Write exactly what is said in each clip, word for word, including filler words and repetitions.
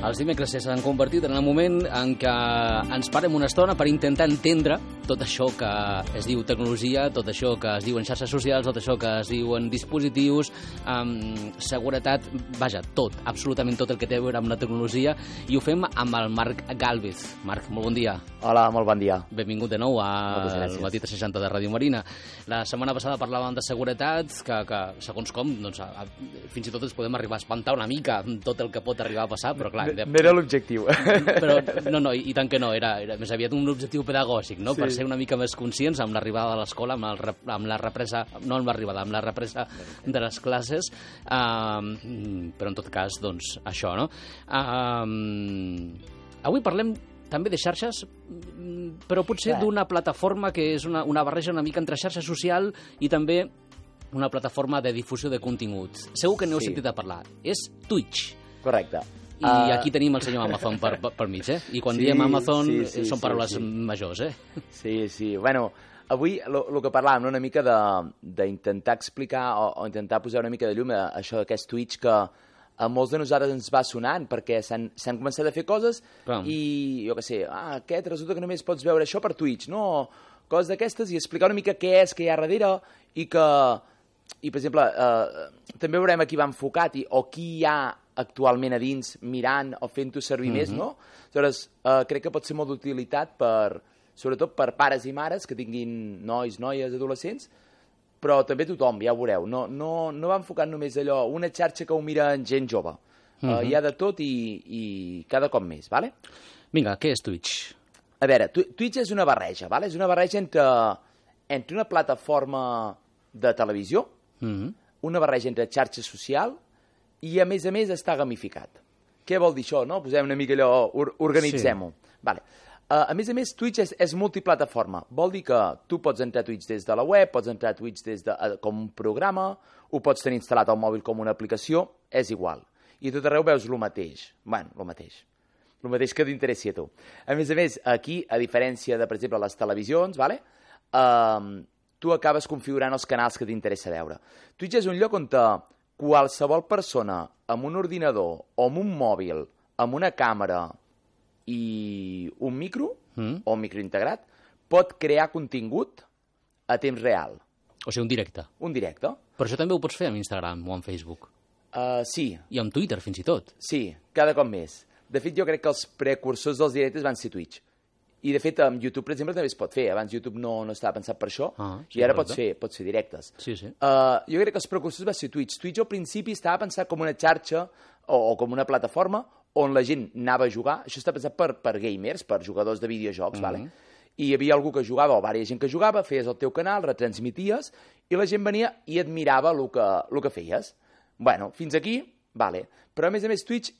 Els dimecres s'han convertit en el moment en què ens parem una estona per intentar entendre tot això que es diu tecnologia, tot això que es diuen xarxes socials, tot això que es diuen dispositius, um, seguretat, vaja, tot, absolutament tot el que té a veure amb la tecnologia, i ho fem amb el Marc Gálvez. Marc, molt bon dia. Hola, molt bon dia. Benvingut de nou al Matí tres seixanta de Ràdio Marina. La setmana passada parlàvem de seguretat, que, que segons com, doncs, a, a, fins i tot ens podem arribar a espantar una mica tot el que pot arribar a passar, però clar... No, no era l'objectiu. Però no, no, i, i tant que no, era, era més aviat un objectiu pedagògic, no? Sí. Per ser una mica més conscients amb l'arribada de l'escola, amb, el, amb la represa, no amb l'arribada, amb la represa de les classes, um, però en tot cas, doncs, això, no? Um, avui parlem també de xarxes, però potser d'una plataforma que és una, una barreja una mica entre xarxa social i també una plataforma de difusió de contingut. Segur que n'heu sí. sentit a parlar. És Twitch. Correcte. I uh... aquí tenim el senyor Amazon per, per, per mig, eh? I quan sí, diem Amazon sí, sí, són paraules sí, sí. majors, eh? Sí, sí. Bueno, avui el que parlàvem, no? Una mica d'intentar explicar o, o intentar posar una mica de llum a això d'aquest Twitch que a molts de nosaltres ens va sonant perquè s'han començat a fer coses Però... i, jo què sé, ah, aquest resulta que només pots veure això per Twitch, no? Coses d'aquestes i explicar una mica què és, què hi ha darrere i que, i per exemple, eh, també veurem a qui va enfocat i, o qui hi ha actualment a dins mirant o fent-ho servir mm-hmm. més, no? Aleshores, eh, crec que pot ser molt d'utilitat per, sobretot per pares i mares que tinguin nois, noies, adolescents, però també tothom, ja ho veureu. No, no, no va enfocat només allò, una xarxa que ho mira en gent jove. Mm-hmm. uh, hi ha de tot i, i cada cop més, vale? Vinga, què és Twitch? A veure, Twitch és una barreja, vale? És una barreja entre, entre una plataforma de televisió, mm-hmm. una barreja entre xarxa social i, a més a més, està gamificat. Què vol dir això, no? Posem una mica allò, or, organitzem-ho. Sí. Vale. Uh, a més a més, Twitch és, és multiplataforma. Vol dir que tu pots entrar a Twitch des de la web, pots entrar a Twitch des de, uh, com un programa, ho pots tenir instal·lat al mòbil com una aplicació, és igual. I tot arreu veus el mateix. Bueno, el mateix. El mateix que t'interessi a tu. A més a més, aquí, a diferència de, per exemple, les televisions, vale? uh, tu acabes configurant els canals que t'interessa veure. Twitch és un lloc on te, qualsevol persona amb un ordinador o amb un mòbil, amb una càmera i un micro, mm. o un micro integrat, pot crear contingut a temps real. O sigui, un directe. Un directe. Però això també ho pots fer amb Instagram o amb Facebook. Uh, sí. I amb Twitter, fins i tot. Sí, cada cop més. De fet, jo crec que els precursors dels directes van ser Twitch. I, de fet, amb YouTube, per exemple, també es pot fer. Abans YouTube no, no estava pensat per això, ah, sí, i ara pots fer, pots fer directes. Sí, sí. Uh, jo crec que els precursors va ser Twitch. Twitch al principi estava pensat com una xarxa o, o com una plataforma on la gent anava a jugar. Això està pensat per, per gamers, per jugadors de videojocs, mm-hmm. vale? I hi havia algú que jugava, o vària gent que jugava, feies el teu canal, retransmities, i la gent venia i admirava el que, el que feies. Bueno, fins aquí, vale. Però, a més a més, Twitch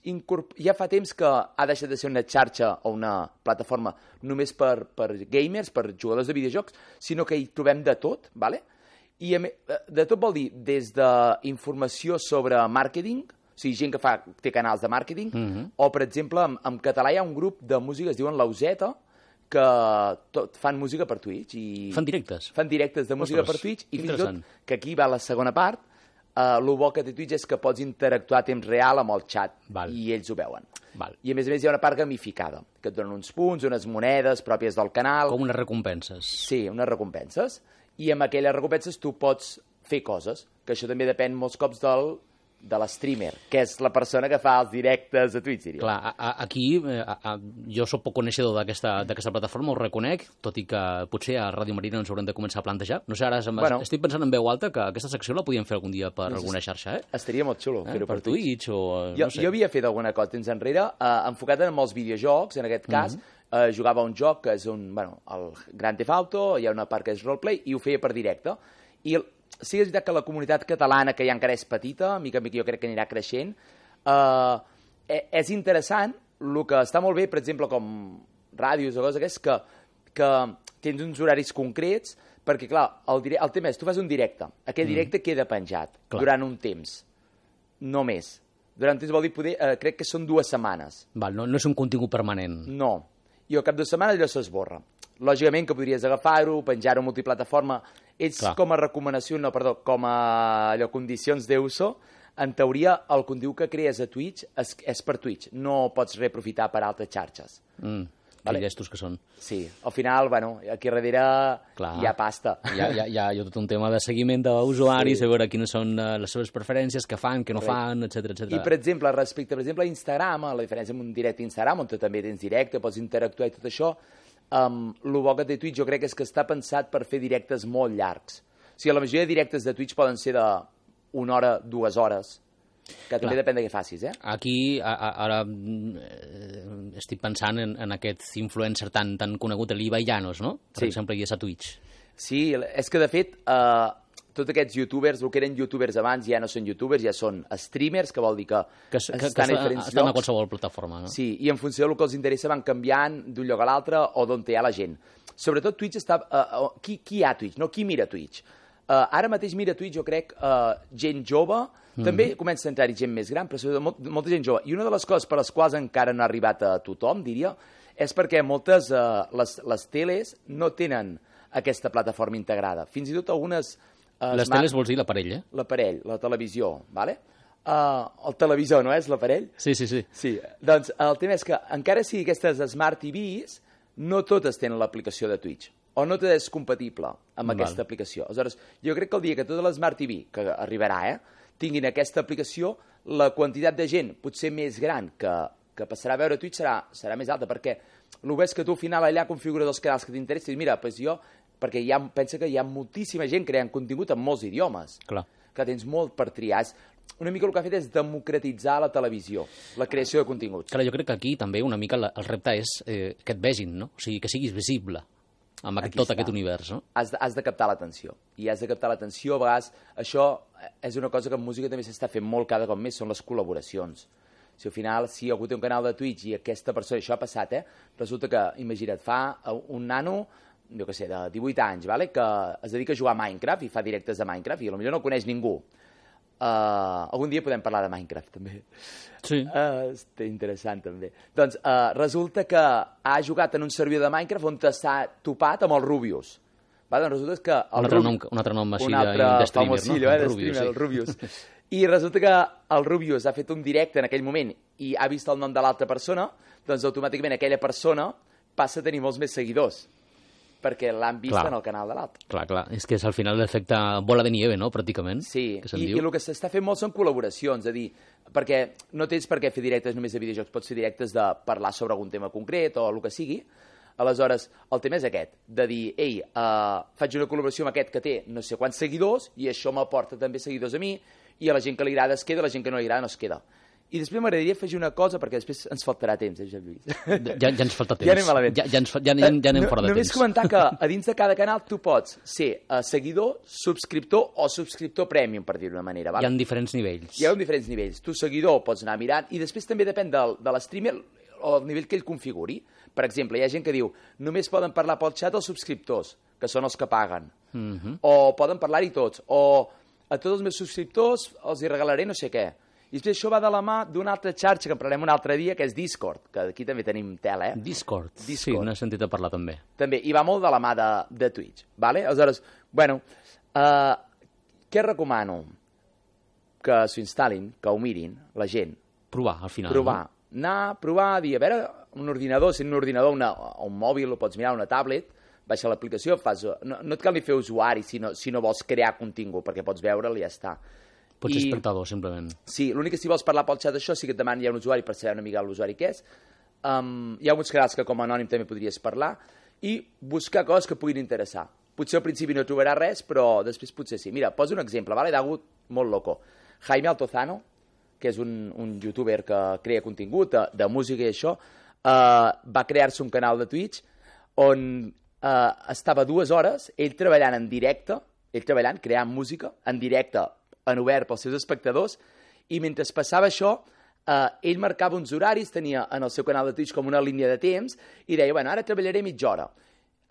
ja fa temps que ha deixat de ser una xarxa o una plataforma només per, per gamers, per jugadors de videojocs, sinó que hi trobem de tot, vale? I a, de tot vol dir des d'informació sobre màrqueting, o sigui, gent que fa, té canals de màrqueting, mm-hmm. o, per exemple, en, en català hi ha un grup de música, es diuen Lauseta, que tot, fan música per Twitch. I fan directes? Fan directes de música Ostres, per Twitch, i fins i tot, que aquí va la segona part, uh, el bo que té Twitch és que pots interactuar a temps real amb el xat, Val. I ells ho veuen. Val. I, a més a més, hi ha una part gamificada, que et donen uns punts, unes monedes pròpies del canal. Com unes recompenses. Sí, unes recompenses. I amb aquelles recompenses tu pots fer coses, que això també depèn molts cops del... de l'streamer, que és la persona que fa els directes a Twitch, diria. Clar, a, a, aquí a, a, jo soc poc coneixedor d'aquesta plataforma, ho reconec, tot i que potser a Ràdio Marina ens haurem de començar a plantejar. No sé, ara bueno, estic pensant en veu alta que aquesta secció la podíem fer algun dia per no sé, alguna xarxa, eh? Estaria molt xulo eh? fer-ho per, per Twitch. Twitch o, jo, no sé. jo havia fet alguna cosa temps enrere, eh, enfocat en molts videojocs, en aquest cas, mm-hmm. eh, jugava un joc que és un, bueno, el Grand Theft Auto, hi ha una part que és roleplay, i ho feia per directe. I el, sí que és veritat que la comunitat catalana, que ja encara és petita, mica en mica jo crec que anirà creixent, eh, és interessant, el que està molt bé, per exemple, com ràdios o coses aquestes, que, que tens uns horaris concrets, perquè, clar, el, dire... el tema és, tu fas un directe, aquell directe mm. queda penjat clar. Durant un temps, no més. Durant un temps vol dir, poder, eh, crec que són dues setmanes. Val, no, no és un contingut permanent. No, i al cap de setmana allò s'esborra. Lògicament que podries agafar-ho, penjar-ho multiplataforma. Ells Clar. com a recomanació, no, perdó, com a allò, condicions d'uso, en teoria, el contingut que crees a Twitch és, és per Twitch, no pots reaprofitar per altres xarxes. Mm. Vale. Que llestos que són. Sí, al final, bueno, aquí darrere Clar. hi ha pasta. Hi ha, hi, ha, hi, ha, hi ha tot un tema de seguiment d'usuaris, sí. a veure quines són les seves preferències, què fan, què no fan, etcètera, etcètera. I, per exemple, respecte, per exemple, a Instagram, a la diferència amb un directe Instagram, on tu també tens directe, pots interactuar i tot això, um, el bo que té Twitch jo crec que és que està pensat per fer directes molt llargs. O sigui, la majoria de directes de Twitch poden ser d'una hora, dues hores, que també Clar. depèn de què facis, eh? Aquí, a, a, ara, eh, estic pensant en, en aquest influencer tan, tan conegut, l'Ibai Llanos, no? Per sí. exemple, i és a Twitch. Sí, és que, de fet, eh, tots aquests youtubers, el que eren youtubers abans, ja no són youtubers, ja són streamers, que vol dir que, que, que estan que a diferents estan llocs. A qualsevol plataforma, no? Sí, i en funció del que els interessa van canviant d'un lloc a l'altre o d'on hi ha la gent. Sobretot Twitch està... Uh, uh, qui, qui hi ha Twitch? No, qui mira Twitch? Uh, ara mateix mira Twitch, jo crec, uh, gent jove, mm. també comença a entrar-hi gent més gran, però sobretot molt, molta gent jove. I una de les coses per les quals encara no ha arribat a tothom, diria, és perquè moltes, uh, les, les teles no tenen aquesta plataforma integrada. Fins i tot algunes... Uh, les smart... teles vols dir l'aparell, eh? L'aparell, la televisió, vale? Uh, el televisor, no és l'aparell? Sí, sí, sí. Sí, doncs el tema és que encara sigui aquestes Smart T Vs, no totes tenen l'aplicació de Twitch. O no tot és compatible amb Val. aquesta aplicació. Aleshores, jo crec que el dia que tota l'Smart T V, que arribarà, eh, tinguin aquesta aplicació, la quantitat de gent potser més gran que, que passarà a veure Twitch serà, serà més alta, perquè el que és que tu al final allà configures els canals que t'interessin, i mira, doncs jo, perquè hi ha, pensa que hi ha moltíssima gent creant contingut en molts idiomes, Clar. que tens molt per triar. Una mica el que ha fet és democratitzar la televisió, la creació de continguts. Clar, jo crec que aquí també una mica el repte és eh, que et vegin, no? O sigui, que siguis visible amb aquest, tot està. aquest univers, no? Has de, has de captar l'atenció. I has de captar l'atenció, a vegades, això és una cosa que en música també s'està fent molt cada cop més, són les col·laboracions. Si al final, si algú té un canal de Twitch i aquesta persona, això ha passat, eh? Resulta que, imagina't, fa un nano, jo què sé, de divuit anys, vale? Que es dedica a jugar a Minecraft i fa directes de Minecraft i potser no coneix ningú. Uh, algun dia podem parlar de Minecraft, també. Sí. Uh, és interessant, també. Doncs uh, resulta que ha jugat en un servidor de Minecraft on s'ha topat amb el Rubius. Va, doncs resulta que... El un, altre nom, un altre nom així un altre de streamer, famosillo, no? Eh, de streamer, sí. El Rubius. I resulta que el Rubius ha fet un directe en aquell moment i ha vist el nom de l'altra persona, doncs automàticament aquella persona passa a tenir molts més seguidors, perquè l'han vist clar. en el canal de l'altre. Clar, clar. És que és al final l'efecte bola de nieve, no?, pràcticament. Sí, que I, diu. i el que s'està fent molt són col·laboracions, és a dir, perquè no tens per què fer directes només de videojocs, pots fer directes de parlar sobre algun tema concret o el que sigui. Aleshores, el tema és aquest, de dir, ei, uh, faig una col·laboració amb aquest que té no sé quants seguidors i això m'aporta també seguidors a mi i a la gent que li agrada es queda, a la gent que no li agrada no es queda. I després m'agradaria afegir una cosa, perquè després ens faltarà temps, eh, Lluís? Ja, ja ens falta temps. Ja anem malament. Ja, ja, ens, ja, ja, ja anem no, fora de només temps. Només comentar que a dins de cada canal tu pots ser uh, seguidor, subscriptor o subscriptor premium, per dir-ho d'una manera. Val? Hi ha diferents nivells. Hi ha diferents nivells. Tu, seguidor, pots anar mirant i després també depèn del, de l'streamer o el nivell que ell configuri. Per exemple, hi ha gent que diu només poden parlar pel xat els subscriptors, que són els que paguen. Mm-hmm. O poden parlar-hi tots. O a tots els meus subscriptors els hi regalaré no sé què. I després això va de la mà d'una altra xarxa que en parlarem un altre dia, que és Discord, que aquí també tenim tela, eh? Discord, Discord. Sí, n'he sentit a parlar també. També, i va molt de la mà de, de Twitch, vale? Aleshores, bueno, uh, què recomano? Que s'ho instal·lin, que ho mirin, la gent. Provar, al final. Provar. No? Anar, provar, dir, a veure, un ordinador, si un ordinador, una, un mòbil, ho pots mirar, una tablet, baixa l'aplicació, fas... No, no et cal ni fer usuari si no, si no vols crear contingut, perquè pots veure'l i ja està. Pots ser espectador, simplement. Sí, l'únic que si vols parlar pel xat d'això sí que et demanen ja un usuari per saber una mica l'usuari que és. Um, hi ha uns canals que com a anònim també podries parlar i buscar coses que puguin interessar. Potser al principi no trobaràs res, però després potser sí. Mira, poso un exemple, vale? D'algú molt loco. Jaime Altozano, que és un, un youtuber que crea contingut de, de música i això, uh, va crear-se un canal de Twitch on uh, estava dues hores, ell treballant en directe, ell treballant, creant música, en directe, en obert pels seus espectadors, i mentre passava això, eh, ell marcava uns horaris, tenia en el seu canal de Twitch com una línia de temps, i deia, bueno, ara treballaré mitja hora,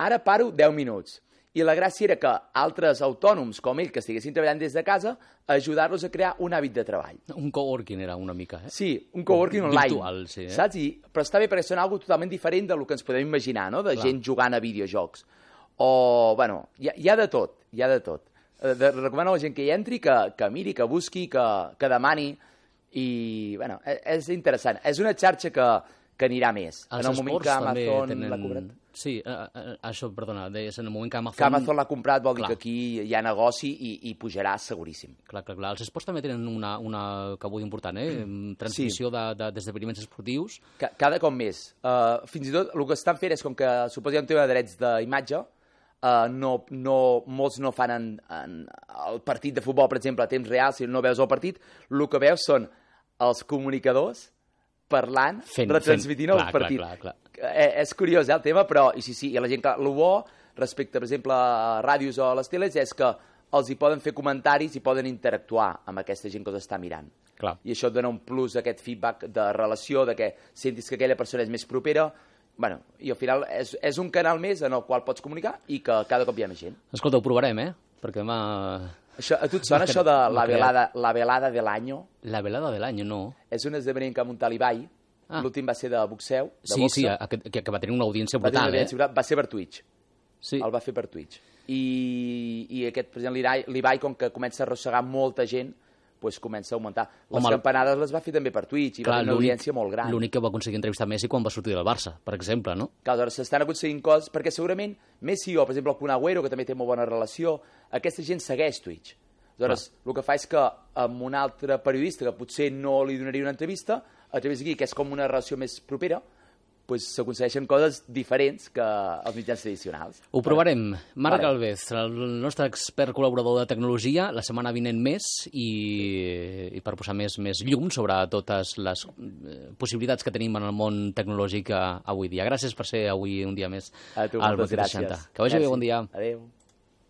ara paro deu minuts. I la gràcia era que altres autònoms com ell, que estiguessin treballant des de casa, ajudar-los a crear un hàbit de treball. Un coworking era una mica, eh? Sí, un coworking online. Virtual, sí, eh? Saps? I, però està bé perquè són algo totalment diferent del que ens podem imaginar, no? De Clar. gent jugant a videojocs. O, bueno, hi ha, hi ha de tot, hi ha de tot. De, recomano a la gent que hi entri, que, que miri, que busqui, que, que demani, i, bueno, és, és interessant. És una xarxa que, que anirà més. Els en el moment que Amazon tenen... l'ha comprat... Sí, uh, això, perdona, deies, en el moment que Amazon... Que Amazon l'ha comprat vol clar. dir que aquí hi ha negoci i, i pujarà seguríssim. Clar, clar, clar. Els esports també tenen una, una cabuda important, eh? Transmissió sí. d'esdeveniments de, esportius. Ca, cada cop més. Uh, fins i tot el que estan fent és, com que suposo hi ha un tema de drets d'imatge, uh, no, no, molts no fan en, en el partit de futbol, per exemple, a temps real, si no veus el partit, el que veus són els comunicadors parlant, fent, retransmitint fent. el clar, partit. Clar, clar, clar. Eh, és curiós, eh, el tema, però i sí, sí, i la gent que... El bo, respecte, per exemple, a ràdios o a les teles, és que els hi poden fer comentaris i poden interactuar amb aquesta gent que els està mirant. Clar. I això et dona un plus, aquest feedback de relació, de que sentis que aquella persona és més propera. Bueno, i al final és, és un canal més en el qual pots comunicar i que cada cop hi ha més gent. Escolta, ho provarem, eh? Perquè demà... Això, a tu et sona això de la velada, la velada de l'any? La velada de l'any, no. És un esdeveniment que ha muntat l'Ibai. Ah. L'últim va ser de boxeu, de sí, boxa. Sí, que, que va tenir una audiència brutal, va eh? Va ser per Twitch. Sí. El va fer per Twitch. I, i aquest, per exemple, l'Ibai, com que comença a arrossegar molta gent, pues comença a augmentar. Les Home, campanades les va fer també per Twitch, i clar, va tenir una audiència molt gran. L'únic que va aconseguir entrevistar Messi quan va sortir del Barça, per exemple, no? Clar, doncs s'estan aconseguint coses, perquè segurament Messi o, per exemple, el Kun Agüero, que també té molt bona relació, aquesta gent segueix Twitch. Aleshores, el que fa és que amb un altre periodista que potser no li donaria una entrevista, a través d'aquí, que és com una relació més propera, pues, s'aconsegueixen coses diferents que els mitjans tradicionals. Ho provarem. Marc vale. Alvez, el nostre expert col·laborador de tecnologia, la setmana vinent més, i, i per posar més, més llum sobre totes les possibilitats que tenim en el món tecnològic avui dia. Gràcies per ser avui un dia més a tu, al Botí seixanta. Que vagi bé, bon dia. Adéu.